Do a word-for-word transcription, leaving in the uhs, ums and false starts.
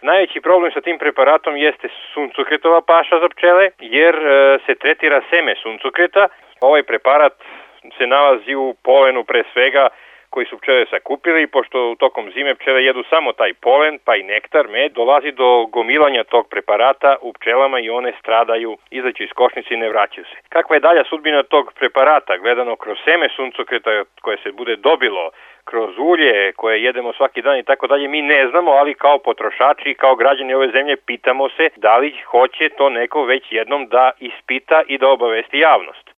Najveći problem sa tim preparatom jeste suncokretova paša za pčele, jer e, se tretira seme suncokreta. Ovaj preparat se nalazi u polenu pre svega koji su pčele sakupili i pošto tokom zime pčele jedu samo taj polen, pa i nektar, med, dolazi do gomilanja tog preparata u pčelama i one stradaju, izađu iz košnice i ne vraćaju se. Kakva je dalja sudbina tog preparata, gledano kroz seme suncokreta koje se bude dobilo, kroz ulje koje jedemo svaki dan i tako dalje, mi ne znamo, ali kao potrošači i kao građani ove zemlje pitamo se da li hoće to neko već jednom da ispita i da obavesti javnost.